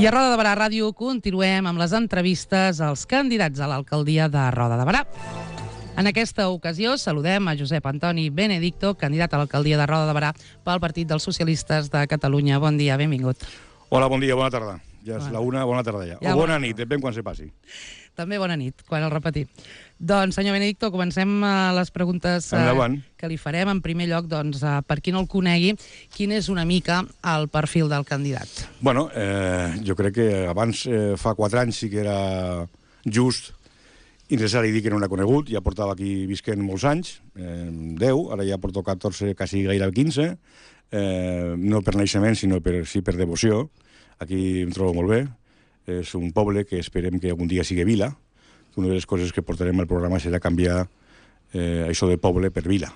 I a Roda de Barà Ràdio continuem amb les entrevistes als candidats a l'alcaldia de Roda de Barà. En aquesta ocasió saludem a Josep Antoni Benedicto, candidat a l'alcaldia de Roda de Barà pel Partit dels Socialistes de Catalunya. Bon dia, benvingut. Hola, bon dia, bona tarda. Ja és la una, bona tarda ja. O bona nit, depèn quan se passi. També bona nit, quan el repetim. Doncs, senyor Benedicto, comencem les preguntes que li farem. En primer lloc, doncs, per qui no el conegui, quin és una mica el perfil del candidat? Bueno, jo crec que abans, fa 4 anys, sí que era just i necessari dir que no l'ha conegut. Ja portava aquí visquent molts anys, 10, ara ja porto 14, quasi gairebé 15, no per naixement, sinó sí per devoció. Aquí em trobo molt bé. És un poble que esperem que algun dia sigui vila. Una de les coses que portarem al programa serà canviar això de poble per vila.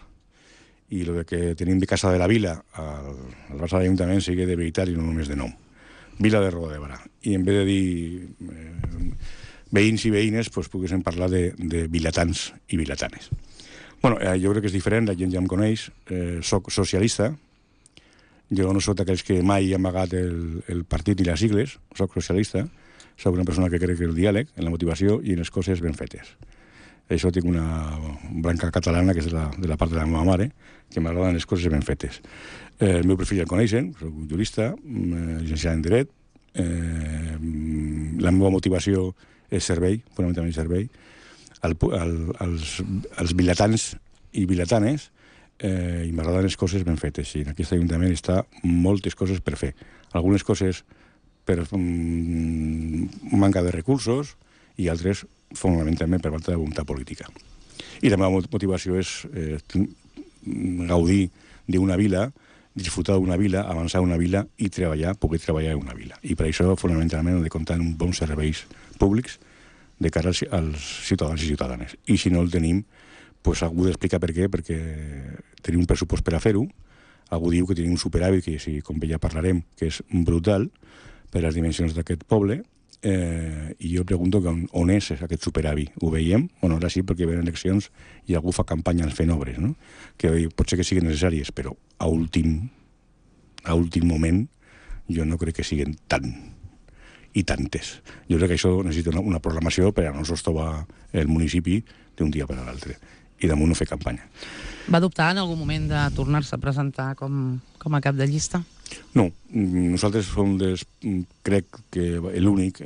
I el que tenim de Casa de la Vila al Barça d'Ajuntament sigui de veritat i no només de nom. Vila de Roda de Barà. I en vez de dir veïns i veïnes, doncs poguéssim parlar de vilatans i vilatanes. Bueno, jo crec que és diferent, la gent ja em coneix. Soc socialista. Jo no soc d'aquells que mai he amagat el partit ni les sigles, soc socialista, soc una persona que crec en el diàleg, en la motivació i en les coses ben fetes. Això tinc una branca catalana, que és de la part de la meva mare, que m'agraden les coses ben fetes. El meu perfil ja el coneixen, soc un jurista, llicenciat en Dret, la meva motivació és servei, fonamentalment servei, als vilatans i vilatanes, i m'agraden les coses ben fetes. I en aquest Ajuntament està moltes coses per fer. Algunes coses per manca de recursos i altres fonamentalment per falta de voluntat política. I la meva motivació és gaudir d'una vila, disfrutar d'una vila, avançar una vila i poder treballar en una vila. I per això fonamentalment hem de comptar amb bons serveis públics de cara als ciutadans i ciutadanes. I si no el tenim, doncs algú d'explicar per què, perquè tenim un pressupost per a fer-ho, algú diu que tenim un superàvit, que com ja parlarem, que és brutal per les dimensions d'aquest poble, i jo pregunto on és aquest superàvit. Ho veiem? Bueno, ara sí, perquè venen eleccions i algú fa campanya fent obres, no? Que pot ser que siguin necessàries, però a últim moment jo no crec que siguin tant i tantes. Jo crec que això necessita una programació per a no sostovar el municipi d'un dia per a l'altre. I damunt no fer campanya. Va dubtar en algun moment de tornar-se a presentar com a cap de llista? No, nosaltres som, crec que l'únic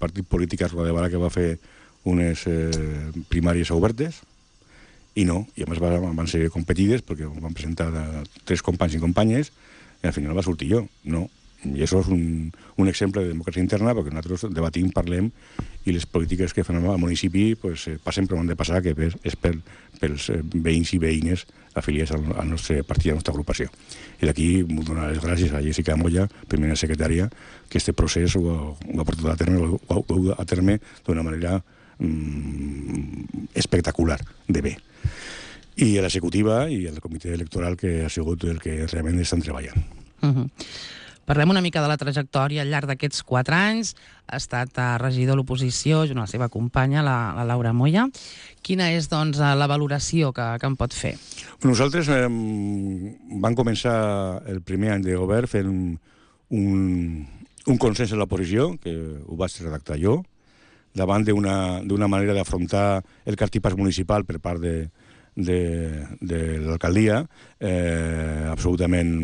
partit polític a Roda de Barà que va fer unes primàries obertes, i no, i a més van ser competides perquè van presentar 3 companys i companyes i al final va sortir jo, no. I això és un exemple de democràcia interna, perquè nosaltres debatim, parlem, i les polítiques que fan al municipi passen per on han de passar, que és pels veïns i veïnes afiliats al nostre partit, a la nostra agrupació. I d'aquí vull donar les gràcies a Jessica Moya, primera secretària, que aquest procés ho ha portat a terme d'una manera espectacular, de bé. I a l'executiva i al comitè electoral, que ha sigut el que realment estan treballant. Parlem una mica de la trajectòria al llarg d'aquests 4 anys. Ha estat regidor a l'oposició junt a la seva companya, la Laura Moya. Quina és, doncs, la valoració que en pot fer? Nosaltres vam començar el primer any de govern fent un consens a l'oposició, que ho vaig redactar jo, davant d'una manera d'afrontar el cartipàs municipal per part de l'alcaldia, absolutament.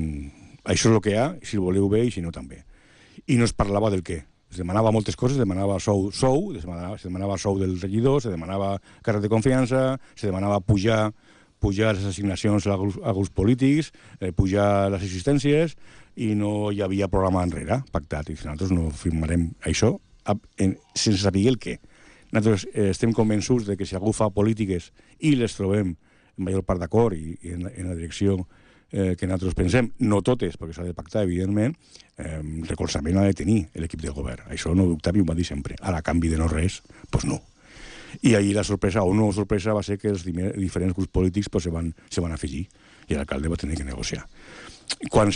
Això és el que hi ha, si ho voleu bé i si no també. I no es parlava del què. Es demanava moltes coses, es demanava se demanava sou del regidor, se demanava càrrec de confiança, se demanava pujar les assignacions als grups polítics, pujar les assistències, i no hi havia programa enrere pactat. I nosaltres no firmarem això sense saber el què. Nosaltres estem convençuts que si algú fa polítiques i les trobem en major part d'acord i en la direcció que nosaltres pensem, no totes, perquè s'ha de pactar, evidentment, recolzament ha de tenir l'equip de govern. Això no dubtava i ho va dir sempre. Ara, a canvi de no res, doncs no. I ahir la sorpresa, o no sorpresa, va ser que els diferents grups polítics se van afegir i l'alcalde va tenir que negociar. Quan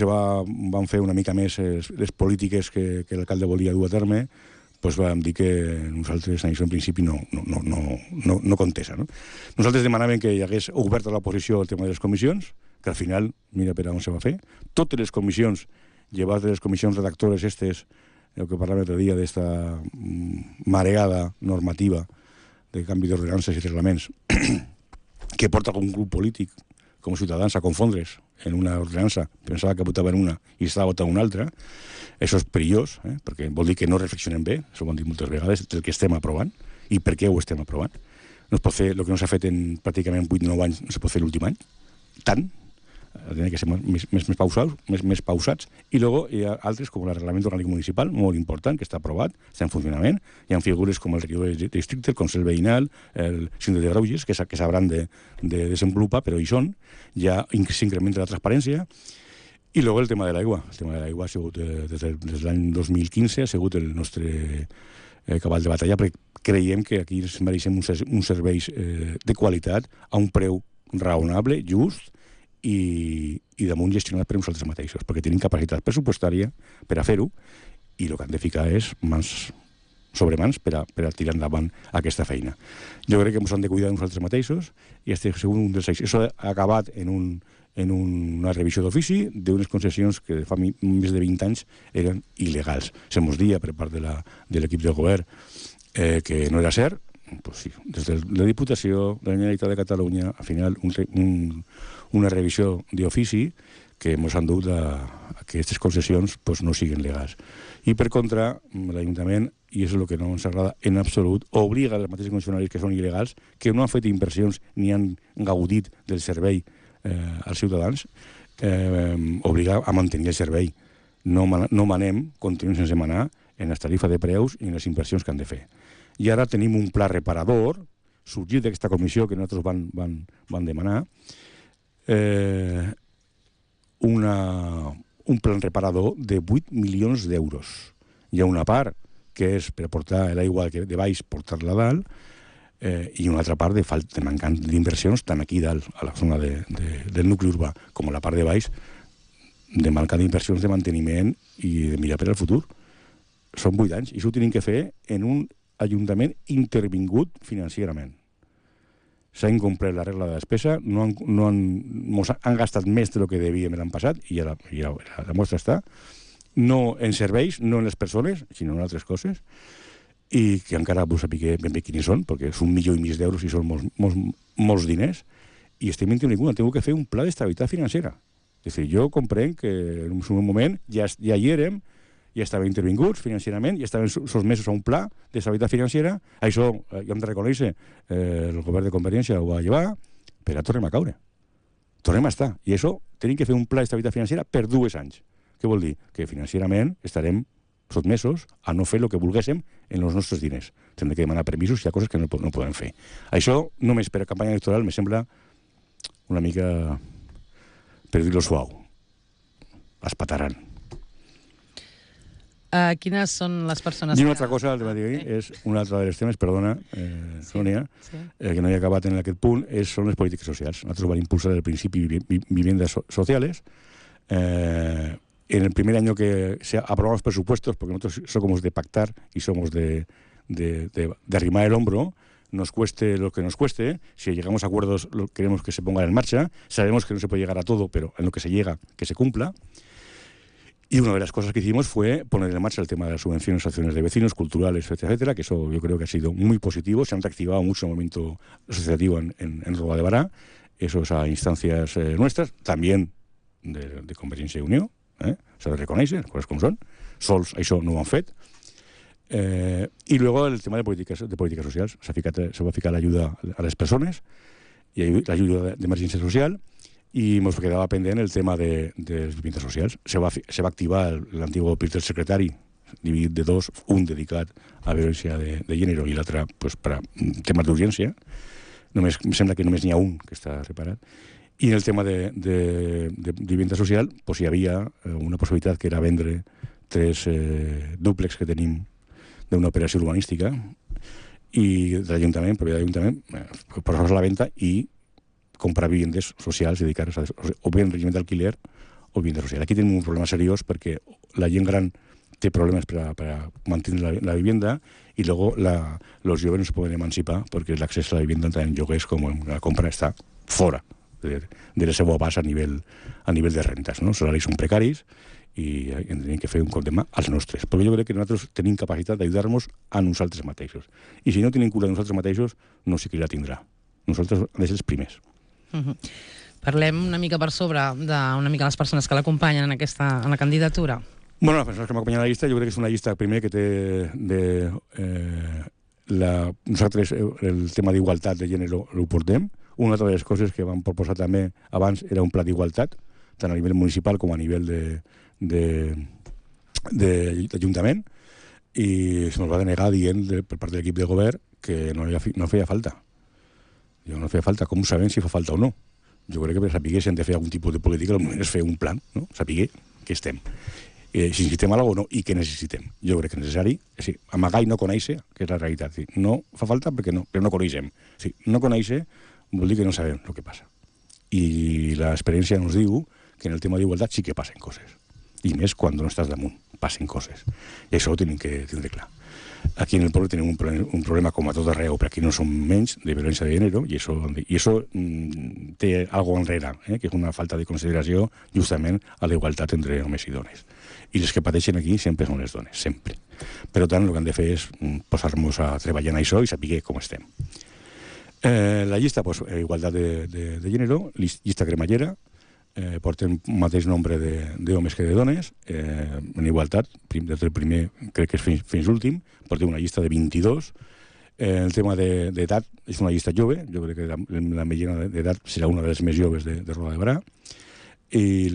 van fer una mica més les polítiques que l'alcalde volia dur a terme, doncs vam dir que nosaltres en això en principi no contesa. Nosaltres demanàvem que hi hagués obert a l'oposició el tema de les comissions, que al final, mira per on se va fer, totes les comissions, llevat de les comissions redactores el que parlàvem l'altre dia d'esta mareada normativa de canvi d'ordenances i reglaments que porta algun grup polític com Ciutadans a confondre's en una ordenança, pensava que votaven una i estava votant una altra. Això és perillós, perquè vol dir que no reflexionem bé, això ho hem dit moltes vegades, del que estem aprovant i per què ho estem aprovant. No es pot fer el que no s'ha fet en pràcticament 8 o 9 anys, no se pot fer l'últim any, tant, ha de ser més pausats. I després hi ha altres, com el Reglament Orgànic Municipal, molt important, que està aprovat, està en funcionament. Hi ha figures com el regidor de districte, el Consell Veïnal, el síndic de Greuges, que s'hauran de desenvolupar, però hi són. Ja s'incrementa la transparència. I després el tema de l'aigua. El tema de l'aigua ha sigut, des de l'any 2015, ha sigut el nostre cavall de batalla, perquè creiem que aquí ens mereixem uns serveis de qualitat a un preu raonable, just, i damunt gestionat per nosaltres mateixos, perquè tenim capacitat pressupostària per a fer-ho, i el que han de ficar és mans sobre mans per a tirar endavant aquesta feina. Jo crec que ens han de cuidar nosaltres mateixos, i este és un dels eixos. Això ha acabat en una revisió d'ofici d'unes concessions que fa més de 20 anys eren il·legals. Se mos dia per part de l'equip del govern que no era cert. Pues sí, des de la Diputació de la Generalitat de Catalunya, al final, una revisió d'ofici que ens han dut a que aquestes concessions pues, no siguin legals. I per contra, l'Ajuntament, i és el que no ens agrada en absolut, obliga els mateixos concessionaris que són il·legals, que no han fet inversions ni han gaudit del servei als ciutadans, obliga a mantenir el servei. No manem, continuem sense manar, en les tarifes de preus i en les inversions que han de fer. I ara tenim un pla reparador, sorgit d'aquesta comissió que nosaltres van demanar, un plan reparador de 8 milions d'euros. Hi ha una part que és per portar l'aigua de baix, portar-la a dalt, i una altra part de mancant d'inversions tant aquí dalt, a la zona del nucli urbà, com a la part de baix, de manca d'inversions de manteniment i de mirar per al futur. Són 8 anys, i això ho tenim que fer en un ajuntament intervingut financierament. S'ha incomplert la regla de despesa, han gastat més del que devíem l'any passat, i la mostra està, no en serveis, no en les persones, sinó en altres coses, i que encara vull saber ben bé quins són, perquè és 1,5 milió d'euros i són molts diners, i estem intervinguts, hem de fer un pla d'estabilitat financera. És a dir, jo comprenc que en un moment ja hi érem, ja estaven intervinguts financierament, ja estaven sotmesos a un pla d'estabilitat financera. Això, ja hem de reconèixer, el govern de Convergència ho va llevar, però tornem a caure. Tornem a estar. I això, tenim que fer un pla d'estabilitat financera per 2 anys. Què vol dir? Que financierament estarem sotmesos a no fer el que volguéssim en els nostres diners. Hem de demanar permisos i hi ha coses que no podem fer. Això, només per a campanya electoral, me sembla una mica, per dir-ho suau, espataran. Quines són les persones I una altra cosa, és un altre dels temes, perdona, Sònia, que no he acabat en aquest punt, són les polítiques socials. Nosaltres vam impulsar el principi viviendas sociales. En el primer año que se aprobaron los presupuestos, porque nosotros somos de pactar y somos de arrimar el hombro, nos cueste lo que nos cueste, si llegamos a acuerdos queremos que se pongan en marcha, sabemos que no se puede llegar a todo, pero en lo que se llega, que se cumpla. Y una de las cosas que hicimos fue poner en marcha el tema de las subvenciones a acciones de vecinos, culturales, etcétera, etcétera, que eso yo creo que ha sido muy positivo. Se han reactivado mucho el movimiento asociativo en Roda de Bará, eso es a instancias nuestras, también de Convergència i Unió, s'ha de reconèixer, les coses com són. Sols això no ho han fet. I luego el tema de polítiques socials. Se va ficar l'ajuda a les persones i l'ajuda d'emergència social, i ens quedava pendent el tema de les viviendas socials. Se va activar l'antigo PIR del secretari, dividit de 2, un dedicat a violència de gènere i l'altre per a temes d'urgència. Em sembla que només n'hi ha un que està reparat. I en el tema de vivienda social hi havia una possibilitat que era vendre 3 dúplex que tenim d'una operació urbanística i de l'Ajuntament, propietat de l'Ajuntament, posar-los a la venda i comprar viviendes socials dedicades o bé en règim d'alquiler o vivienda social. Aquí tenim un problema seriós perquè la gent gran té problemes per a mantenir la vivienda i luego los jóvenes no se poden emancipar perquè l'accés a la vivienda tant en lloguers com en la compra està fora de la seva base a nivell de rentes. No? Els salaris són precaris i hem de fer un cop de mà als nostres. Perquè jo crec que nosaltres tenim capacitat d'ajudar-nos a nosaltres mateixos. I si no tenim cura de nosaltres mateixos, no sé qui la tindrà. Nosaltres hem de ser els primers. Parlem una mica per sobre d'una mica les persones que l'acompanyen en la candidatura. Bueno, les persones que m'acompanyen a la llista, jo crec que és una llista, primer, que té nosaltres el tema d'igualtat de gènere ho portem. Una de les coses que vam proposar també abans era un pla d'igualtat, tant a nivell municipal com a nivell d'Ajuntament, i se'ns va denegar dient per part de l'equip de govern que no feia falta. No feia falta. Com sabem si fa falta o no? Jo crec que per saber si hem de fer algun tipus de política, el moment és fer un plan, no? Saber que estem. Si necessitem alguna cosa o no, i què necessitem. Jo crec que és necessari, amagar i no conèixer, que és la realitat. No fa falta perquè no coneixem. No conèixer vol dir que no sabem el que passa. I l'experiència ens diu que en el tema d'igualtat sí que passen coses. I més quan no estàs damunt, passen coses. I això ho tenim que tindre clar. Aquí en el poble tenim un problema, com a tot arreu, però aquí no som menys, de violència de gènere, i això té alguna cosa enrere, que és una falta de consideració justament a la igualtat entre homes i dones. I les que pateixen aquí sempre són les dones, sempre. Per tant, el que han de fer és posar-nos a treballar en això i saber com estem. La llista, igualtat de gènere, llista cremallera, porten un mateix nombre d'homes que de dones, en igualtat, des del primer, crec que és fins l'últim, portem una llista de 22. El tema d'edat és una llista jove, jo crec que la mitjana d'edat serà una de les més joves de Roda de Barà, i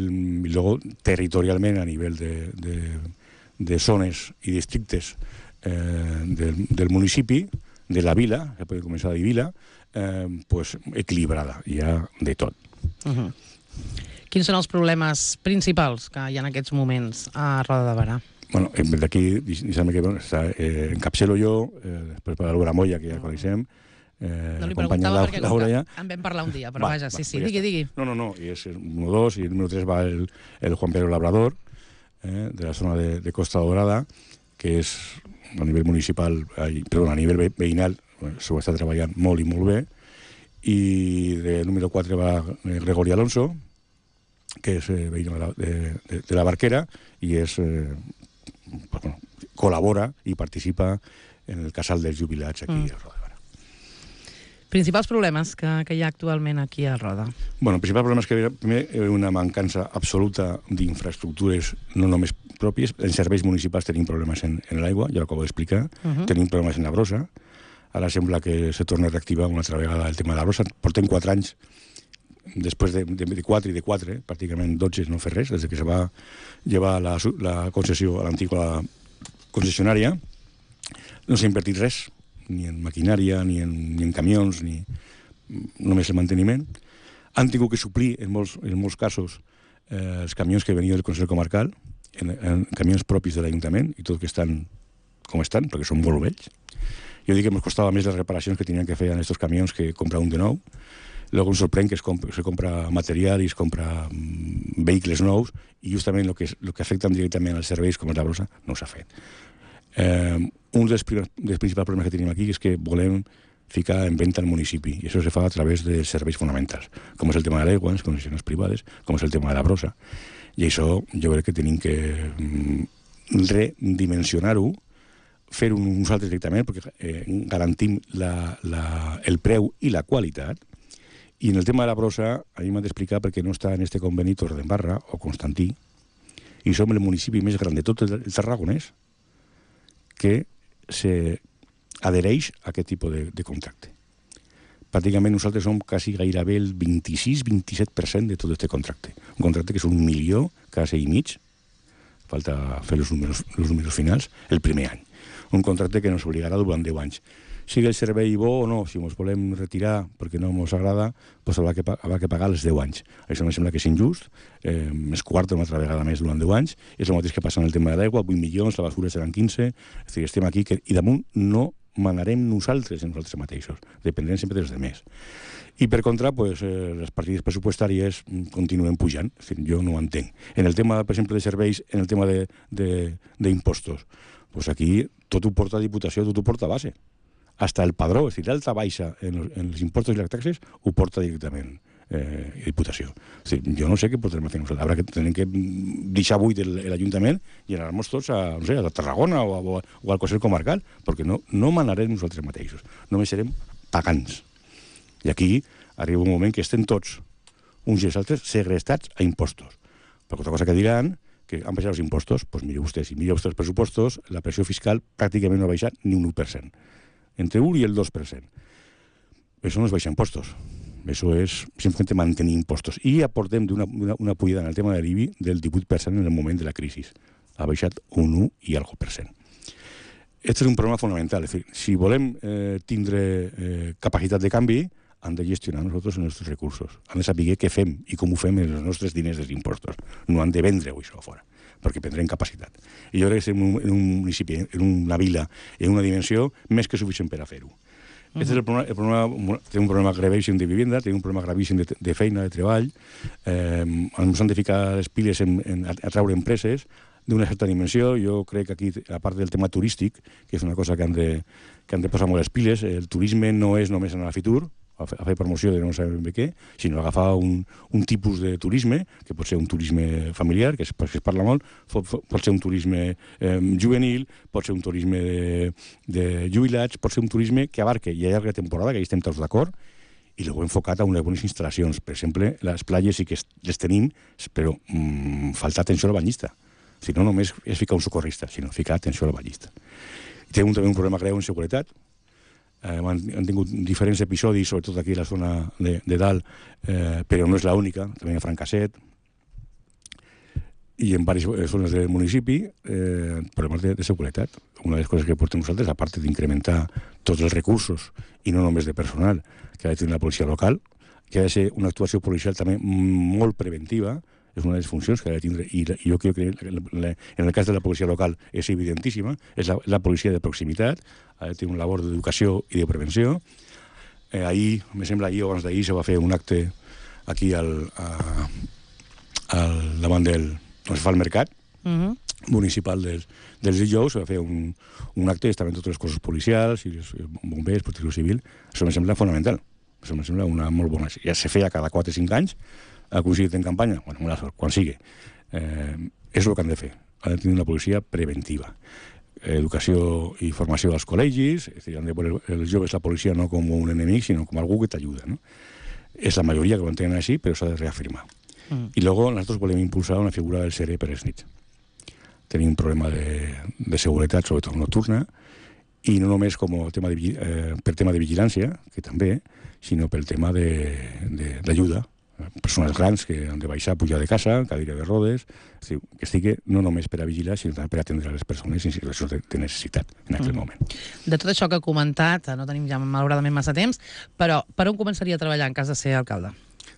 luego territorialment a nivell de zones i districtes del municipi, de la vila, que podem començar a dir vila, equilibrada, hi ha de tot. Quins són els problemes principals que hi ha en aquests moments a Roda de Barà? Bueno, d'aquí, deixa'm que encapçalo jo, després per l'Albora Moya, que ja coneixem, no li preguntava perquè en vam parlar un dia, però vaja, sí, digui. No, i és el número 2, i el número 3 va el Juan Pedro Labrador, de la zona de Costa Dorada, que és a nivell municipal, perdó, a nivell veïnal, s'ho està treballant molt i molt bé, i del número 4 va Gregori Alonso, que és veí de la Barquera, i col·labora i participa en el casal dels jubilats aquí a Roda de Barà. Principals problemes que hi ha actualment aquí a Roda? Bueno, el principal problema és que primer hi ha una mancança absoluta d'infraestructures, no només pròpies. En serveis municipals tenim problemes en l'aigua, ja ho acabo d'explicar. Tenim problemes en la brossa. Ara sembla que se torna a reactivar una altra vegada el tema de la brossa. Portem 4 anys, després de 4 i de 4, pràcticament 12 no fer res, des que se va llevar la concessió a l'antiga concessionària. No s'ha invertit res, ni en maquinària, ni en camions, ni només el manteniment. Han tingut que suplir, en molts casos, els camions que venien del Consell Comarcal, en camions propis de l'Ajuntament, i tot que estan com estan, perquè són molt vells. Jo dic que ens costava més les reparacions que tenien que fer en aquests camions que comprar un de nou. Luego ens sorprèn que se compra material i es compra vehicles nous, i justament el que afecta directament als serveis, com és la brossa, no s'ha fet. Un dels principals problemes que tenim aquí és que volem ficar en venda al municipi, i això se fa a través dels serveis fonamentals, com és el tema de l'aigua, les concessions privades, com és el tema de la brossa. I això jo crec que tenim que redimensionar-ho, fer-ho nosaltres directament, perquè garantim el preu i la qualitat. I en el tema de la brossa, a mi m'han d'explicar perquè no està en este conveni Torredembarra o Constantí, i som el municipi més gran de tot el Tarragonès que s'adhereix a aquest tipus de contracte. Pràcticament nosaltres som quasi gairebé el 26-27% de tot aquest contracte. Un contracte que és 1 milió cada 6 i mig, falta fer els números finals, el primer any. Un contracte que ens obligarà durant 10 anys. Sigui el servei bo o no, si ens volem retirar perquè no ens agrada, doncs haurà que pagar els 10 anys. Això em sembla que és injust, es quarta una altra vegada més durant 10 anys, és el mateix que passa en el tema de l'aigua, 8 milions, la basura seran 15, és a dir, estem aquí i damunt no manarem nosaltres mateixos, dependrem sempre dels demés. I per contra, les partides pressupostàries continuen pujant, jo no ho entenc. En el tema, per exemple, de serveis, en el tema d'impostos, aquí tot ho porta a Diputació, tot ho porta a base. hasta el padró, és a dir, l'alta baixa en els impostos i les taxes ho porta directament Diputació. És a dir, jo no sé què podrem fer nosaltres. Habrà que tenim que deixar buit l'Ajuntament i anar-nos tots a, no sé, a Tarragona o al Consell Comarcal, perquè no manarem nosaltres mateixos. Només serem pagans. I aquí arriba un moment que estem tots, uns i els altres, segrestats a impostos. Perquè altra cosa que diran que han baixat els impostos, doncs mire vostè, si mira vostè els pressupostos, la pressió fiscal pràcticament no ha baixat ni un 1%. Entre l'1 i el 2%. Això no es baixa impostos. Això és simplement mantenir impostos. I aportem una pujada en el tema de l'IBI del 18% en el moment de la crisi. Ha baixat un 1 i algo %. Aquest és un problema fonamental. És dir, si volem tindre capacitat de canvi, han de gestionar nosaltres els nostres recursos. Han de saber què fem i com ho fem amb els nostres diners dels impostos. No han de vendre-ho això a fora, perquè prendrem capacitat. I jo crec que estem en un municipi, en una vila, en una dimensió més que suficient per a fer-ho. Aquest és el problema, té un problema gravíssim de vivenda, té un problema gravíssim de feina, de treball, ens han de ficar les piles a treure empreses d'una certa dimensió. Jo crec que aquí, a part del tema turístic, que és una cosa que han de posar molt les piles, el turisme no és només anar a Fitur, a fer promoció de no sabem bé què, sinó agafar un tipus de turisme, que pot ser un turisme familiar, que es parla molt, pot ser un turisme juvenil, pot ser un turisme de jubilats, pot ser un turisme que abarque i a llarga temporada, que hi estem tots d'acord, i l'ho enfocat a unes bones instal·lacions. Per exemple, les platges sí que les tenim, però falta atenció al banyista. Si no, només és ficar un socorrista, sinó ficar atenció al banyista. Tenim també un problema greu en seguretat. Han tingut diferents episodis, sobretot aquí a la zona de dalt, però no és l'única, també a Francasset i en diverses zones del municipi, problemes de seguretat. Una de les coses que portem nosaltres, a part d'incrementar tots els recursos, i no només de personal, que ha de tenir la policia local, que ha de ser una actuació policial també molt preventiva, és una de les funcions que ha de tindre, i jo crec que en el cas de la policia local és evidentíssima, és la policia de proximitat, ha de tenir una labor d'educació i de prevenció. Ahir, me sembla ahir o abans d'ahir, se va fer un acte aquí davant on es fa el mercat municipal dels dijous, se va fer un acte, estaven totes les cossos policials i els bombers, protecció civil. Això me sembla fonamental, això me sembla una molt bona. Ja se feia cada 4 o 5 anys, ha aconseguit en campanya, bueno, quan sigui. És el que han de fer. Han de tenir una policia preventiva. Educació i formació als col·legis, és a dir, han de veure els joves la policia no com un enemic, sinó com algú que t'ajuda. No? És la majoria que ho entenen així, però s'ha de reafirmar. I luego nosaltres volem impulsar una figura del SERE per les nits. Tenim un problema de seguretat, sobretot nocturna, i no només per tema de vigilància, que també, sinó pel tema d'ajuda. Persones grans que han de baixar, pujar de casa, cadira de rodes, que estigui no només per a vigilar, sinó també per atendre les persones en situacions de necessitat en aquell moment. De tot això que ha comentat, no tenim ja malauradament massa temps, però per on començaria a treballar en cas de ser alcalde?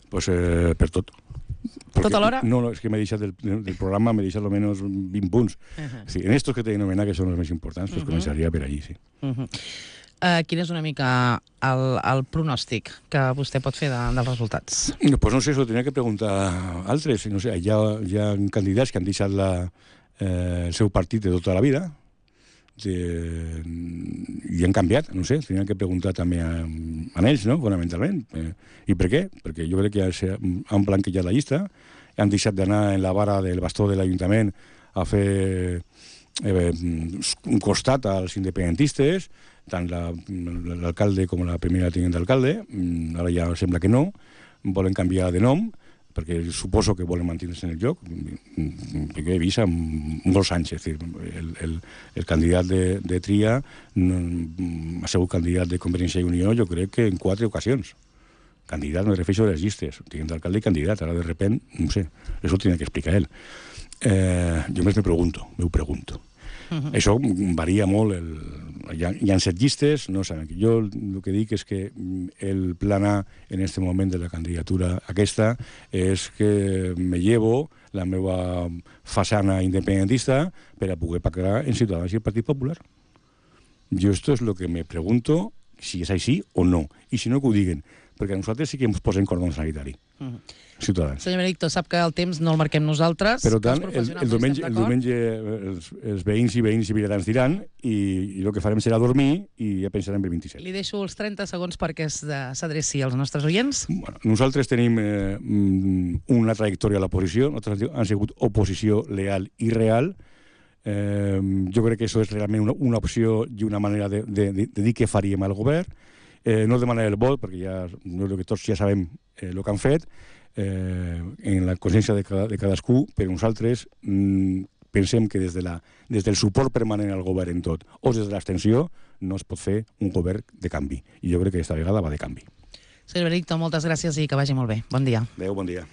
Pues per tot. Tot alhora? No, és que m'he deixat del programa, m'he deixat almenys 20 punts. Sí, en estos que t'he anomenat, que són els més importants, pues començaria per allí, sí. Quin és una mica el pronòstic que vostè pot fer dels resultats? Pues no sé, això ho tenia que preguntar a altres. No sé, hi ha candidats que han deixat el seu partit de tota la vida i han canviat, no sé, tenien que preguntar també a ells, no?, fonamentalment. I per què? Perquè jo crec que han blanquejat la llista, han deixat d'anar en la vara del bastó de l'Ajuntament a fer un costat als independentistes, tant l'alcalde com la primera tinent d'alcalde. Ara ja sembla que no, volen canviar de nom, perquè suposo que volen mantenir-se en el lloc, perquè he vist molts anys, és a dir, el candidat de Tria ha sigut candidat de Convergència i Unió, jo crec que en 4 ocasions. Candidat, me refereixo a les llistes, tinent d'alcalde i candidat, ara de repent, no sé, això ho tenia que explicar ell. Jo més m'ho pregunto. Això varia molt. Hi ha 7 llistes, no saben. Jo el que dic és que el plan A en aquest moment de la candidatura aquesta és que me llevo la meva façana independentista per a poder pactar en Ciutadans i el Partit Popular. Jo esto es lo que me pregunto si és així o no. I si no, que ho diguen. perquè nosaltres sí que ens posem cordó sanitari. Ciutadans. Senyor Benedicto, sap que el temps no el marquem nosaltres. Per tant, el diumenge els veïns i vilatans diran i el que farem serà dormir i ja pensarem el 27. Li deixo els 30 segons perquè s'adreci als nostres oients. Bueno, nosaltres tenim una trajectòria a l'oposició, nosaltres hem sigut oposició leal i real. Jo crec que això és realment una opció i una manera de dir què faríem al govern. No demanar el vot, perquè ja tots ja sabem el que han fet, en la consciència de cadascú, però nosaltres pensem que des del suport permanent al govern en tot o des de l'abstenció no es pot fer un govern de canvi. I jo crec que aquesta vegada va de canvi. Senyor Benedicto, moltes gràcies i que vagi molt bé. Bon dia. Adéu, bon dia.